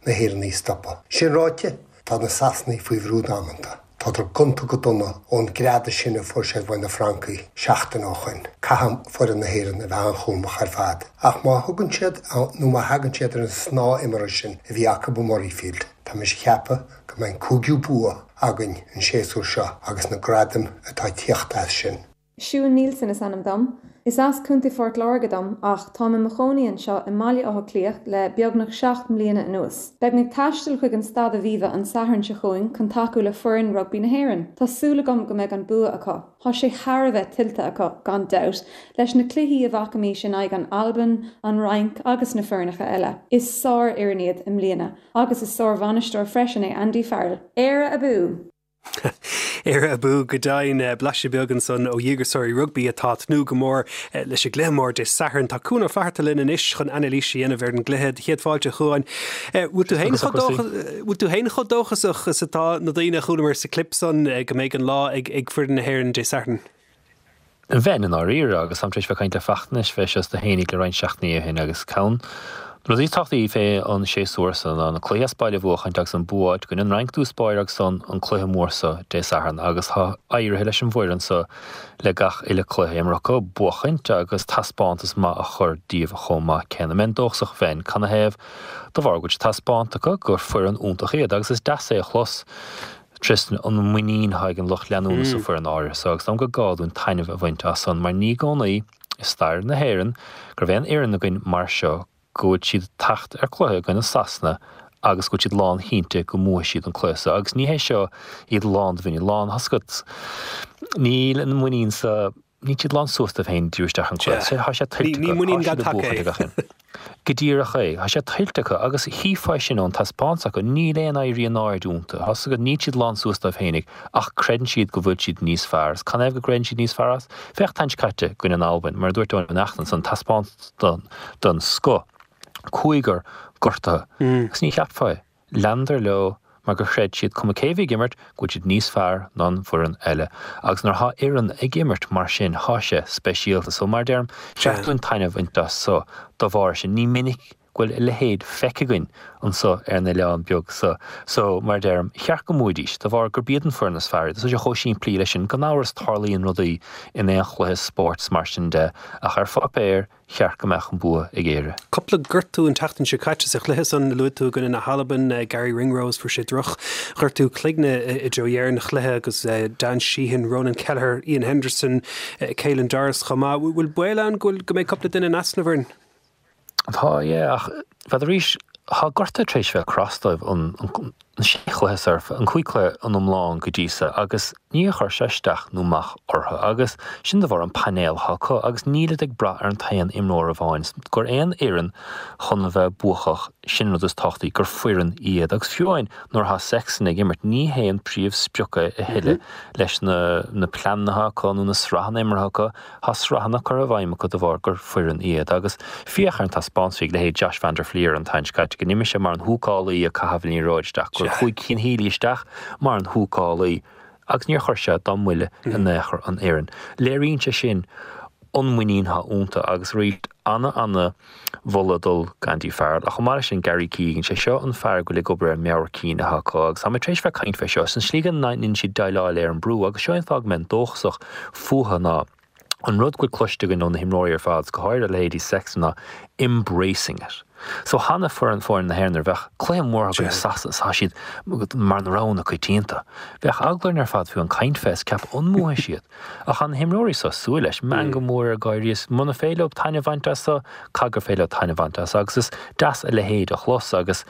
Speaker 8: na hÉireannaigh a stopadh. Sin ráite, tá na Sasanaigh faoi bhrú damanta. Tádar gonta go dona ón greadadh sin a fuair siad uaidh na Francaigh seachtain ó shoin. Caithfidh foireann na hÉireann a bheith an-chúramach ar fad. Ach má thugann siad, nó má thagann siad ar an snáth imeartha sin a bhí acu i Murrayfield, tá mise a cheapadh go mbeidh an cúigiú bua againn an séasúr seo agus na gradaim atá ag tíocht as sin.
Speaker 9: Siún Nielsen is ainm dom. Is as Contae Phort Láirge dom ach táim i mo chónaí anseo i mBaile Átha Cliath le beagnach 7 mbliana anuas. Beidh mé ag taisteal chuig an Staid Aviva an Satharn seo chugainn chun tacú le foireann rugbaí na hÉireann. Tá súil agam go mbeidh an bua acu. Tá sé thar a bheith tuillte acu, gan dabht, leis na cluichí a bhfacaimís in aghaidh an Albain, an Fhrainc agus na foirneacha eile. Is sár-fhoireann iad i mbliana agus is sár-bhainisteoir freisin é Andy Farrell. Éire abú!
Speaker 1: Éire abú go deimhin. Blaiseadh beag ansan ó dhíograiseoirí rugbaí atá ag tnúth go mór leis an gcluiche mór Dé Sathairn. Tá Cuan Ó Flatharta linn anois chun anailís a dhéanamh ar an gcluiche. Céad fáilte, a Chuáin. Bhfuil tú féin bhfuil tú féin chomh dóchasach is atá na daoine a chualamar sa clip san go mbeidh an lá ag foireann na hÉireann Dé Sathairn?
Speaker 10: Bheinn, i ndáiríre, agus táim tar éis bheith ag caint le Fachtna anois fé seo sna haonaigh le roinnt seachtainí ó shin agus ceann de na rudaí is tábhachtaí fé an séasúr so ná na cluichí as baile a bhuachaint agus an bua a fháilt i gcoinne an Fhrainc i dtús báire agus ansan an cluiche mór so Dé Sathairn agus tá éirithe leis an bhfoireann so le gach uile cluiche imeartha acu buachaint agus taispeántas maith a chur díobh chomh maith céanna. Mbeinn dóchasach bheinn. Canathaobh? De bharr go bhfuil sé taispeánta acu gur foireann iontach iad agus is deas é a chlos. Tristan, an muinín atá ag an lucht leanúna sa foireann áirithe so agus dóigh liom gur gá dúinn taitneamh a bhaint as san mar ní i gcónaí i stair na hÉireann go raibh aon fhoireann againn mar seo go bhfuil siad ag teacht ar cluiche i gcoinne Sasana. agus go bhfuil siad lánchinnte go mbuafaidh siad an cluiche so agus ní hé seo iad lán de mhuinín, lán, tá a fhios agat, níl an muinín sa, níl siad lán suas dóibh féin díriú isteach an cluiche. Sea, tá sé tuillte
Speaker 1: acu,
Speaker 10: tá siad ag buachaint ag gach aon. Go díreach é, tá sé tuillte acu agus chífeá é sin ón taispeántas acu, níl aon éirí in airde iontu, tá a fhios agat, níl siad lán suas dóibh féinig ach creideann siad go bhfuil siad níos fearr. Is canathaobh go gcreideann siad níos fearr as? Féach an tseachtain seo caite i gcoinne an Albain, mar a dúirt Eoin Ó Neachtain ansan, taispeántas den scoth. Cúigear gortaithe. Agus ní cheapfá é. Leanadar leo mar gur chreid siad, cuma cé bhí ag imirt, go bhfuil siad níos fearr ná an bhfoireann eile. Agus nuair athá fhoireann ag imirt mar sin, thá sé speisialta. So, mar a deirim, cheart dúinn taitneamh a bhaint as so dá bharr sin. Ní minic go bhfuil a leithéid feicthe againn anso ar an oileán beag so. So, mar a deirim, cheart go mbuafaidís, de bharr gurb iad an foireann is fearr iad. Tá sé chomh simplí leis sin. Gan amhras tarlaíonn rudaí in aon chluiche spóirt is mar sin de, ach ar pháipéar, cheart go mbeadh an bua ag Éire.
Speaker 1: Cúpla gortú an tseachtain seo caite sa chluiche san a luaigh tú i gcoinne na hAlban, Garry Ringrose, fuair sé droch ghortú cloigne i dtreo dheireadh an chluiche agus Dan Sheehan, Ronan Kelleher, Iain Henderson, Caelan Doris chomh maith. Bhfuil baol ann go bhfuil go mbeidh cúpla duine in easnamh orainn?
Speaker 10: Tá, yeah, ach bheadh arís, tá gortuithe tar éis bheith cros dóibh an sé chluiche so, an cúig chluiche in iomlán go dtí so agus níor chuir sé isteach nó amach orthu agus sin de bharr an painéal atá acu agus nílid ag brath ar an t-aon imreoir amháin gur aon fhoireann chun a bheith buacach sin an rud is tábhachtaí gur foireann iad agus fiú amháin nuair atá Sexton ag imirt ní hé an príomh sprioc é a thuilleadh leis na na pleananna atá acu nó na sraitheanna imeartha acu Tá sraitheanna curtha i bhfeidhm acu de bharr gur foireann iad agus féach ar an taispeántas a bhí ag leithéid Josh van der Flier an tseachtain seo caite, go n-imir sé mar an húcálaí ag caitheamh an liathróid isteach, gur chuaigh Cian Healy isteach mar an húcálaí agus níor chuir sé dá mbuille in aon chor an fhoireann. Léiríonn sé sin an muinín atá iontu agus arís ana ana mholadh ag dul d'Andy Farrell. Ach chomh maith leis sin, Gary Keegan, sé seo an fear go bhfuil ag obair ar an meabhair cinn atá acu agus tá mé tar éis bheith ag caint fé seo, is an slí go ndeineann siad déileáil ar an brú agus seo é an fáth go mbeinn dóchasach fúthu ná an rud go bhfuil cloiste againn ó na himreoirí ar fad, is go háirithe leithéidí Sexton ná embracing it. So cheana foireann foireann na hÉireann nuair a bheadh cluiche mór acu i Sasana is tá siad mar na rogha na coitianta. Bheadh eagla orainn ar fad fiú an caint fé is ceapadh an mbuafaidh siad. Ach tá na himreoirí seo ag súil leis, meangadh mór ar gáirí is muna féidir leo taitneamh a bhaint as so, caithfidh gur féidir leo taitneamh a bhaint as agus is deas a leithéid a chlos agus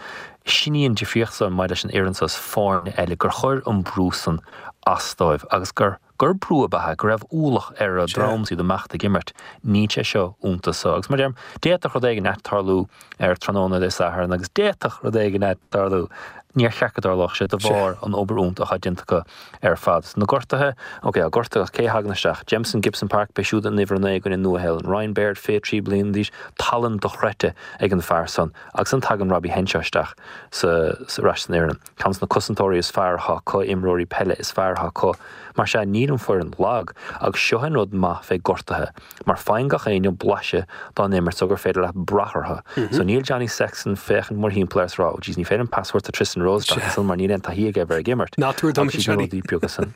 Speaker 10: sin í an difríocht san maidir leis an fhoireann seo is foirne eile gur chuir an brú san as dóibh agus gur gur brú ab ea é, go raibh ualach ar a ndroim is iad amach ag imirt. Níl sé seo iontu so agus mar a deirim, d'fhéadfadh rud éigin ait tarlú ar tráthnóna Dé Sathairn agus d'fhéadfadh rud éigin ait tarlú. Níor cheart go dtarlódh sé de bharr an obair iontach atá déanta acu ar fad. Na gortuithe, ok, tá gortuithe ach cé a thagann isteach? Jamison Gibson-Park, beidh siúd in uimhir 9 i gcoinne Nua-Shéalainn. Ryan Baird, 23 bliana d'aois, tallann dochreidte ag an fear san. Agus ansan tagann Robbie Henshaw isteach sa, ar ais san fhoireann. Ceann de na cosantóirí is fearr atá acu, imreoirí peile is fearr atá acu. Mar sea, níl an foireann lag. Agus seo an rud maith fé gortuithe. Mar faigheann gach éinne blaiseadh dá n-imirt so gur féidir leat brath orthu. So níl Johnny Sexton féachaint mórthimpeall air is rá, oh jeez ní féidir liom pas a thabhairt do Tristan Rose isteach ansan mar níl aon taithí aige a bheith ag imirt.
Speaker 1: Ná tabhair dom
Speaker 10: é, Johnny. Agus na rudaí beaga san.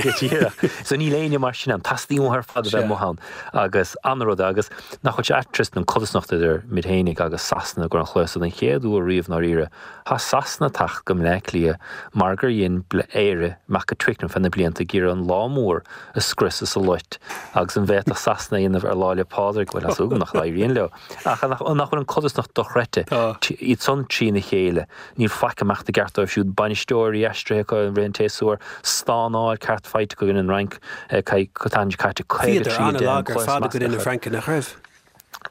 Speaker 10: Go díreach. So níl éinne mar sin ann. Teastaíonn uathu ar fad a bheith amuigh ann. Agus an-rud é. Agus nach bhfuil sé ait Tristan an codarsnacht idir muid fhéinig agus Sasana i gcomhair an chluiche so den chéad uair riamh i ndáiríre Tá Sasana ag teacht go mBleá Cliath mar gur dhein Éire imeacht go Twickenham fé na blianta ag iarraidh an lá mór a scriosadh sa loit agus an bhféadfadh Sasana a dhéanamh ar Lá 'le Pádraig, bhuel, tá súil agam nach n-éiríonn leo. Ach nach bhfuil an codarsnacht dochreidte, iad san trína chéile, níl faic ag imeacht i gceart dóibh siúd, bainisteoirí aistrithe acu i rith an tséasúir, stánáil ceart faighte acu in an Fhrainc, an tseachtain seo caite,
Speaker 1: 53 10 an cluiche is measa acu. Na Francaigh, nach raibh?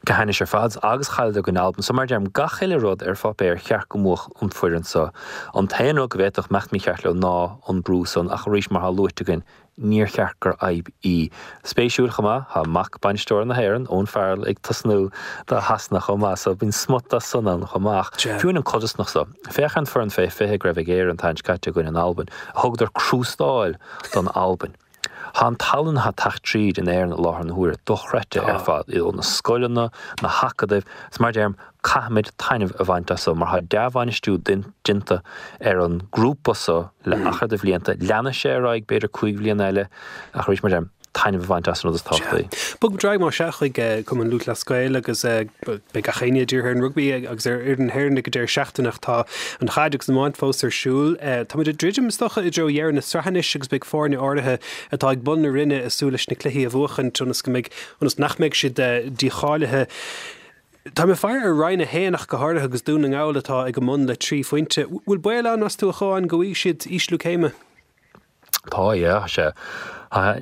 Speaker 10: go hainnis ar fad agus chailleadar i gcoinne Albain. So mar a deirim, gach uile rud ar pháipéar cheart go mbuafadh an foireann so. An t-aon rud go bhféadfadh imeacht mícheart leo ná an brú san ach arís mar atá luaite againn, níor cheart gur fhadhb í. Spéisiúil chomh maith, tá mac bainisteora na hÉireann, Owen Farrell, ag tosnú do Shasana chomh maith so bíonn smut de san ann chomh maith. Ach fiú an codarsnacht so, féach ar an foireann fé 20 go raibh ag Éire an tseachtain seo caite i gcoinne an Albain, thugadar crústáil don Albain. Tá an tallann atá ag teacht tríd in Éirinn i láthair na huaire dochreidte ar fad, ó na scoileanna, na hacadaimh, is mar a deirim, caithfimid taitneamh a bhaint as so mar tá dea-bhainistiú déanta ar an grúpa so le achar de bhlianta, leanfaidh sé ar aghaidh b'fhéidir 5 bhliana eile ach arís mar a deirim, taitneamh a bhaint as an rud is tábhachtaí.
Speaker 1: Bogfaidh muid ar aghaidh más ea chuig Cumann Lúthchleas Gael agus beidh gach éinne dírithe ar an rugbaí agus ar fhoireann na hÉireann ag an deireadh seachtaine ach tá an chaid agus an iomáint fós ar siúl. Táimid ag druidim, is dócha, i dtreo dheireadh na sraithe anois agus beidh foirne áirithe atá ag bun na roinne ag súil leis na cluichí a bhuachaint ionas go mbeidh, ionas nach mbeidh siad dícháilithe. Tá mé ag faire ar Roinn 1 ach go háirithe agus Dún na nGall atá ag a mbun le 3 phointe. Bhfuil baol ann, meas tú, a Chuáin, go bhfaighidh siad ísliú céime?
Speaker 10: Tá, yeah, sea.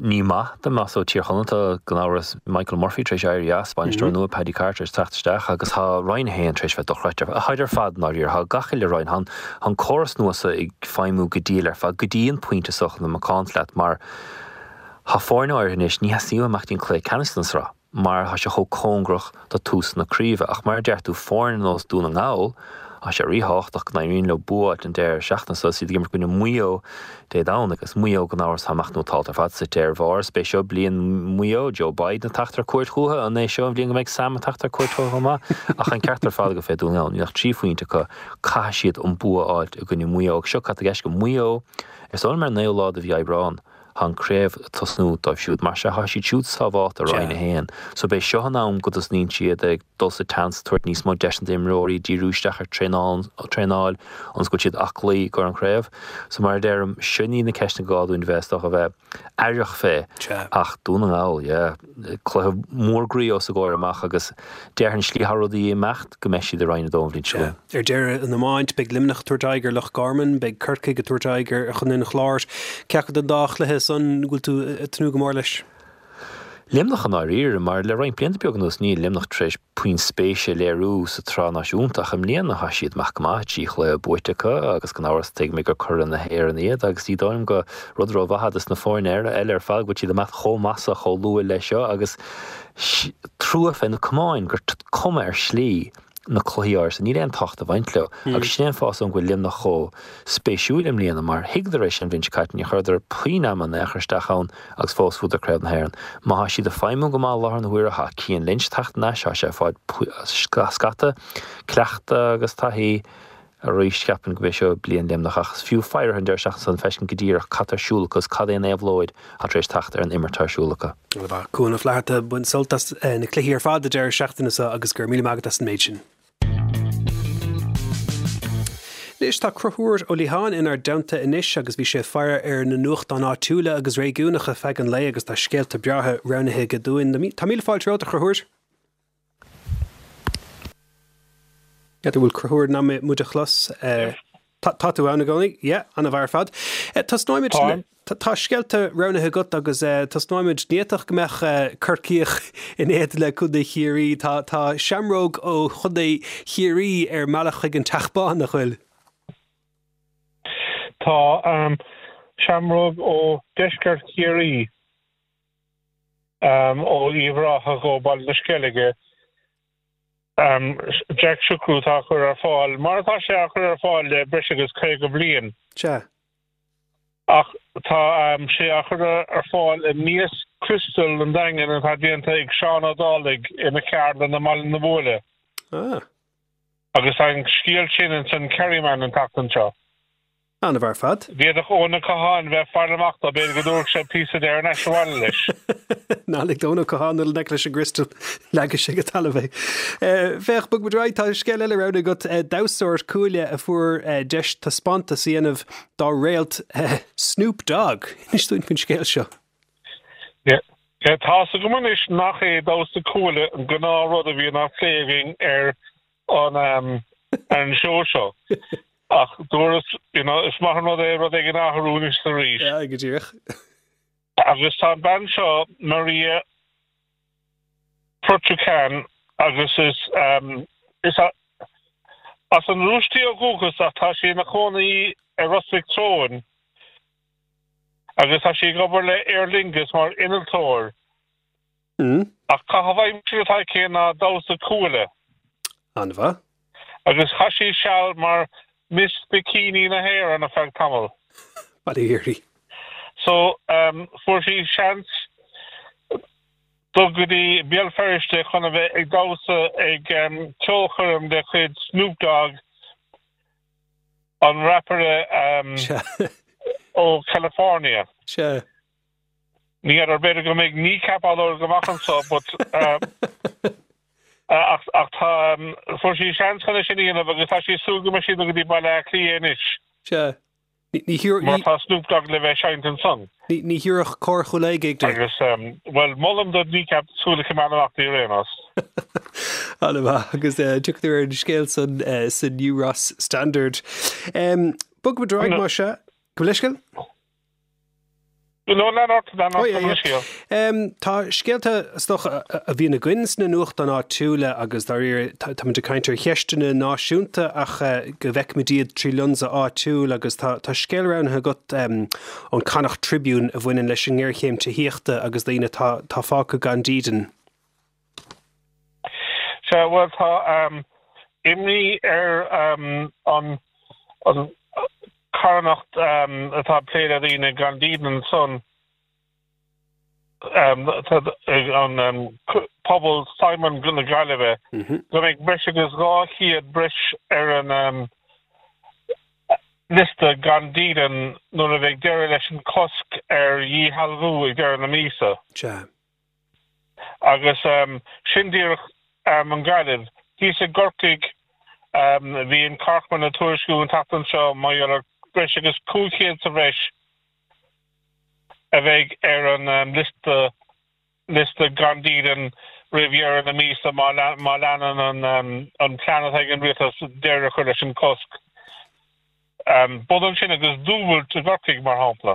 Speaker 10: Ní maith dá mbeadh so Tír Chonaill, tá gan amhras Michael Murphy tar éis éirí as, bainisteoir nua Paddy Carr tar éis teacht isteach agus tá Roinn 1 tar éis bheith dochreidte. Tháid ar fad i ndáiríre, tá gach uile roinn, tá an córas nua so ag feidhmiú go diail ar fad go dtí an pointe so chun a bheith macánta leat mar tá foirne áirithe anois, ní theastaíonn uathu imeacht dtí an cluiche ceannais den sraith. mar tá sé chomh cóngarach do tús na craoibhe. Ach mar a deir tú, foirne ar nós Dún na nGall, tá sé ríthábhachtach go n-éiríonn leo bua a fháilt an deireadh seachtaine seo is iad ag imirt i gcoinne Mhaigh Eo Dé Domhnaigh. Agus Maigh Eo gan amhras tá amach nótálta ar fad suite ar bharr. Is b'é seo bliain Mhaigh Eo, Joe Biden ag teacht ar cuairt chucu, an é seo an bhliain go mbeidh Sam ag teacht ar cuairt chucu chomh maith? Ach an ceart ar fad agat fé Dún na nGall, níl ach 3 phointe acu, caithfidh siad an bua a fháilt i gcoinne Mhaigh Eo. Agus seo cad tá i gceist go Maigh Eo, is dóigh liom ar an naoú lá de mhí Aibreán, Tá an craobh ag tosnú dóibh siúd. Mar sea, tá siad siúd sábháilte i Roinn 1. So b'é seo an am go dtosnaíonn siad ag dul sa tseans, tabhairt níos mó deiseanna d'imreoirí, díriú isteach ar traenáil, ionas go bhfuil siad aclaí i gcomhair an chraobh. So mar a deirim, sin iad na ceisteanna go gá dúinn bheith, is dócha, bheith aireach fé. Ach Dún na nGall, yeah, cluiche mór groí os a gcomhair amach agus déarfainn slí atá rudaí ag imeacht go mbeidh siad i Roinn 2 an bhliain seo chugainn.
Speaker 1: Ar deireadh, an iomáint, beidh Luimneach ag tabhairt aghaidh ar Loch Garman, beidh Corcaigh ag tabhairt aghaidh ar Chontae an Chláir. Cé acu den dá chluiche san go bhfuil tú ag tnúth go mór leis?
Speaker 10: Luimneach i ndáiríre, mar le roinnt blianta beaga anuas níl Luimneach tar éis puinn spéise a léiriú sa tsraith náisiúnta ach i mbliana tá siad amach go maith, 3 chluiche buaite acu agus gan amhras tuigimid gur curaidh na hÉireann iad agus ní dóigh liom gur rud rómhaith dos na foirne eile ar fad go bhfuil siad amach chomh maith so chomh luath leis seo agus trua fé na camáin gur cuma ar shlí na cluichí áirithe so níl aon tábhacht ag baint leo. Agus sin é an fáth is dóigh liom go bhfuil Luimneach chomh spéisiúil i mbliana mar thuigeadar é sin an bhliain seo caite, níor chuireadar puinn ama in aon chor isteach ann agus fós bhuadar Craobh na hÉireann. Má thá siad ag feidhmiú go maith i láthair na huaire, thá Cian Lynch ag teacht aníos, thá sé ag fáil scata cleachtadh agus taithí. Arís, cheapfainn go b'é seo bliain Luimneach ach is fiú faire orthu an deireadh seachtaine san feiscint go díreach cad tá ar siúl acu is cad é an éabhlóid atá tar éis teacht ar an imirt atá ar siúl acu.
Speaker 1: Bhuel, Cuan Ó Flatharta, bain sult as na cluichí ar fad an deireadh seachtaine seo agus go raibh míle maith agat as an méid sin. Anois tá Conchúr Ó Liatháin inár dteannta anois agus bhí sé ag faire ar na nuachtáin áitiúla agus réigiúnacha feadh an lae agus tá scéalta breátha roghnaithe aige dúinn. Tá míle fáilte romhat, a Chonchúir. N'fheadar bhfuil Conchúr in ann muid a chlos? Tá tú ann i gcónaí? Yeah, an-mhaith ar fad. Tosnóimid le, tá scéalta roghnaithe agat agus tosnóimid, ní fhéadfadh go mbeadh Corcaíoch in éadan le Contae Chiarraí. Tá tá seamróg ó Chontae Chiarraí ar an mbealach chuig an Teach Bán, nach bhfuil?
Speaker 11: Tá, seamróg ó deisceart Chiarraí. ó Uíbh Ráthach ó Baile na Sceilge, Jack Sugrue atá á chur ar fáil, mar atá sé á chur ar fáil le breis agus 50 bliain.
Speaker 1: Sea.
Speaker 11: Ach tá sé á chur ar fáil i mias criostail an Daingin atá déanta ag Seán Ó Dálaigh ina cheardlann i mBaile na Buaile.
Speaker 1: Ah.
Speaker 11: Agus tá an scéal sin ins an Kerryman an tseachtain seo.
Speaker 1: An-mhaith ar fad.
Speaker 11: D'fhéadfadh Eoin Ó Catháin bheith ag faire amach dó, b'fhéidir go dtabharfadh sé píosa de ar ais abhaile leis.
Speaker 1: Ná lig d'Eoin Ó Catháin dul i ngleic leis an gcriostal, leagfaidh sé go talamh é. Féach, bog muid ar aghaidh, tá scéal eile roghnaithe agat, damhsóir cuaille a fuair deis taispeántas a dhéanamh dá réalt Snoop Dogg. Inis dúinn faoin scéal seo.
Speaker 11: Tá's agam anois nach é damhsa cuaille an gnáthrud a bhíonn á phlé againn ar an ar an seó seo. Ach dúras, you know, is maith an rud é rud éigin a athrú anois is arís.
Speaker 1: Yeah, go díreach.
Speaker 11: Agus tá an bean seo, Maria Protukhan, agus is, is as an Rúis di ó dhúchas ach tá sí ina cónaí ar Ros Mhic Treoin agus tá sí ag obair le Aer Lingus mar innealtóir. Ach caitheamh aimsire atá aici ná damhsa cuaille.
Speaker 1: An-mhaith.
Speaker 11: Agus chaith sí seal mar Miss Bikini na hÉireann ar feadh tamaill.
Speaker 1: Bail ó Dhia uirthi.
Speaker 11: So, fuair sí seans dul go dtí Béal Feirste chun a bheith ag damhsa ag ceolchoirm de chuid Snoop Dogg, an rapaire ó California.
Speaker 1: Sea.
Speaker 11: Ní fheadar, b'fhéidir go mbeidh kneecap á lorg amach anso but ach ach tá fuair sí seans chun é sin a dhéanamh agus tá sí ag súil go mbeidh sí ag dul go dtí Baile Átha Cliath anois.
Speaker 1: Sea.
Speaker 11: Mar tá Snoop Dogg le bheith ag seinnt ansan.
Speaker 1: Ní thiúrfadh Cór Chúil Aodha gig duit.
Speaker 11: Agus, bhuel, molaim do Kneecap súil a choimeád amach di ar aon nós.
Speaker 1: An-mhaith, agus tiocfaidh tú ar an scéal san sa New Ross Standard. Bogfaimid ar aghaidh, más ea. Gabh mo leithscéal?
Speaker 11: No, lean ort, lean ort, gabh mo leithscéal.
Speaker 1: Tá scéalta, is dócha, a bhíonn againn sna nuachtáin áitiúla agus dáiríre táimid ag caint ar cheisteanna náisiúnta ach go bhfeicimid iad trí lionsa áitiúil agus tá scéal roghnaithe agat ón Connacht Tribune a bhaineann leis an ngéarchéim tithíochta agus daoine atá fágtha gan dídean.
Speaker 11: Sea, bhuel, tá imní ar an charthanacht atá ag plé le daoine gan dídean ansan, an Pobal Simon na Gaillimhe, go mbeidh breis agus 200 breis ar an liosta gan dídean nuair a bheidh deireadh leis an cosc ar dhíshealbhú ag deireadh na míosa.
Speaker 1: Sea.
Speaker 11: Agus sin díreach an Ghaillimh. Thíos i gCorcaigh bhí an Corkman ag tuairisciú an tseachtain seo mar gheall ar breis agus 500 sa bhreis a bheidh ar an liosta liosta gan dídean roimh dheireadh na míosa má má leanann an plean atá ag an rialtas deireadh a chur leis an cosc. B'ionann sin agus dúbailt i gCorcaigh mar shampla.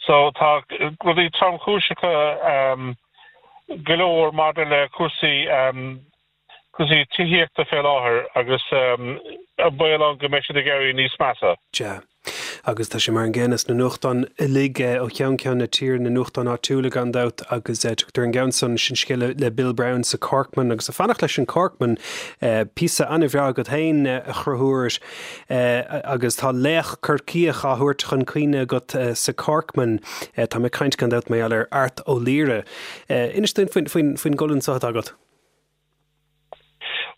Speaker 11: So tá rudaí tromchúiseacha go leor maidir le cúrsaí cúrsaí tithíochta fé láthair agus an baol ann go mbeidh siad ag éirí níos measa.
Speaker 1: Sea. Agus tá sé mar an gcéanna sna nuachtáin uilig ó cheann ceann na tíre, na nuachtáin áitiúla gan dabht, agus tugtar an gceann san, sin scéal le Bill Browne sa Corkman agus ag fanacht leis an Corkman, píosa an-bhreá agat féin a Chonchúir. Agus tá laoch Corcaíoch á thabhairt chun cuimhne agat sa Corkman. Tá mé ag caint gan dabht mar gheall ar Art Ó Laoire. Inis dúinn faoin gcolún seo atá agat.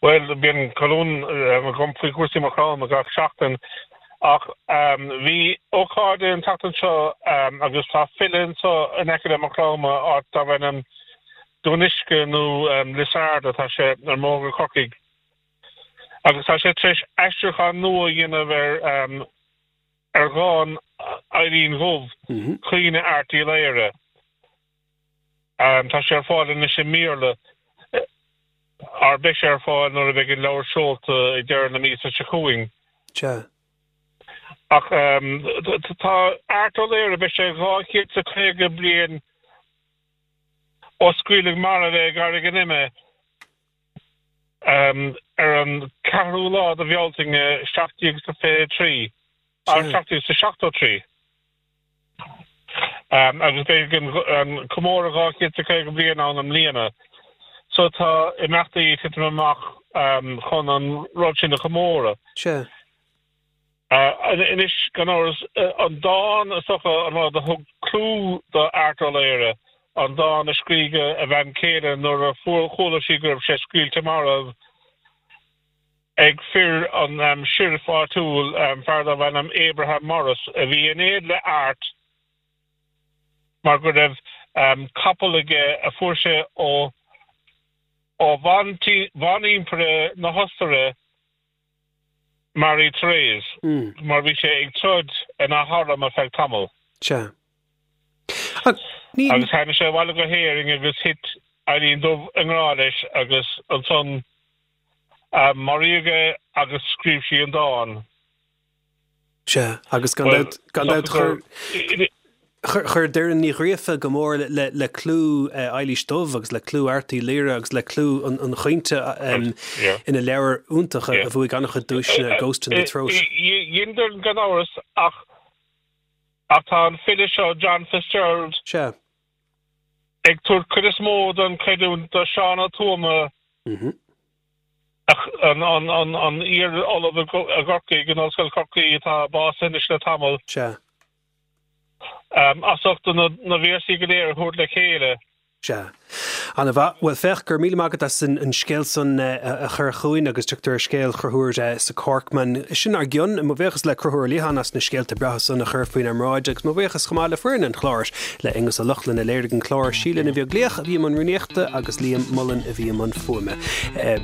Speaker 11: Bhuel, bíonn colún agam faoi chúrsaí Mhaigh Chromtha gach seachtain ach bhí ócáid an tseachtain seo agus tá file anseo in aice le Maigh Chromtha, áit darb ainm Dún Uisce nó Lios Arda, tá sé ar an mbóthar go Corcaigh. Agus tá sé tar éis aistriúchán nua a dhéanamh ar ar dhán Eilín Dhubh, Caoineadh Airt Uí Laoghaire. Tá sé ar fáil anois i mBéarla, or beidh sé ar fáil nuair a bheidh an leabhar seolta ag deireadh na míosa seo chugainn.
Speaker 1: Sea.
Speaker 11: Ach tá Art Ó Laoghaire, beidh sé 250 bliain ó scaoileadh marbh é i gCarraig an Ime. Ar an ceathrú lá de Bhealtaine 1723, 1773, agus beidh an comóradh 250 bliain ann i mbliana, so tá imeachtaí ag titim amach chun an rud sin a chomóradh.
Speaker 1: Sea.
Speaker 11: Anois, gan amhras, an dán is dócha an rud a thug clú do Art Ó Laoghaire, an dán a scrígh a bhean chéile nuair a chuala sí go raibh sé scaoilte marbh ag fir an sheriff áitiúil, fear darbh ainm Abraham Morris, a bhí in éad le Art mar go raibh capall aige a fuair sé ó bhan-impire na hOstaire, Marie Therese, mar bhí sé ag troid ina harm ar feadh tamaill.
Speaker 1: Sea.
Speaker 11: Agus tháinig sé abhaile go hÉirinn agus thit Eilín Dubh i ngrá leis agus ansan maraíodh é agus scríobh sí an dán.
Speaker 1: Sea, agus gan dabht, gan dabht chuir, chuir Doireann Ní Ghríofa go mór le clú Eilís Dubh agus le clú Airt Uí Laoghaire agus le clú an chaointe ina leabhar iontach a bhuaigh an-chuid duaiseanna, Ghost in the Throat.
Speaker 11: Dhein Doireann gan amhras ach ach tá an file seo John Fitzgerald
Speaker 1: Sea.
Speaker 11: ag tabhairt cuid is mó den chreidiúint do Seán Ó Tuama An iar-ollamh i gCorcaigh, in Ollscoil Chorcaí, atá básaithe anois le tamall.
Speaker 1: Sea.
Speaker 11: As ucht na véarsaí go léir a thabhairt le chéile.
Speaker 1: Sea. Ana mhaith. Bhuel féach, go raibh míle maith agat as an scéal san a chur chugainn agus tugtar ar scéal Chonchúir sa Corkman. Sin ár gcionn. Mo bhuíochas le Conchúr Ó Liatháin as na scéalta breátha san a chur faoinár mbráid agus mo bhuíochas chomh maith le foireann an chláir, le Aonghus Ó Lochlainn a léirigh an clár, Síle Ní Bheaglaoich a bhí i mbun rúnaíochta agus Liam Mullen a bhí i mbun fuaime.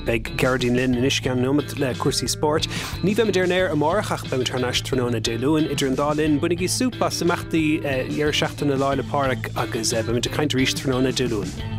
Speaker 1: Beidh Gearóidín linn anois i gceann nóiméad le cúrsaí spóirt. Ní bheimid ar an aer amárach ach beimid thar n-ais tráthnóna Dé Luain. Idir an dá linn, bainigí súp as imeachtaí dheireadh seachtaine Lá 'le Pádraig agus beimid ag caint arís tráthnóna Dé Luain.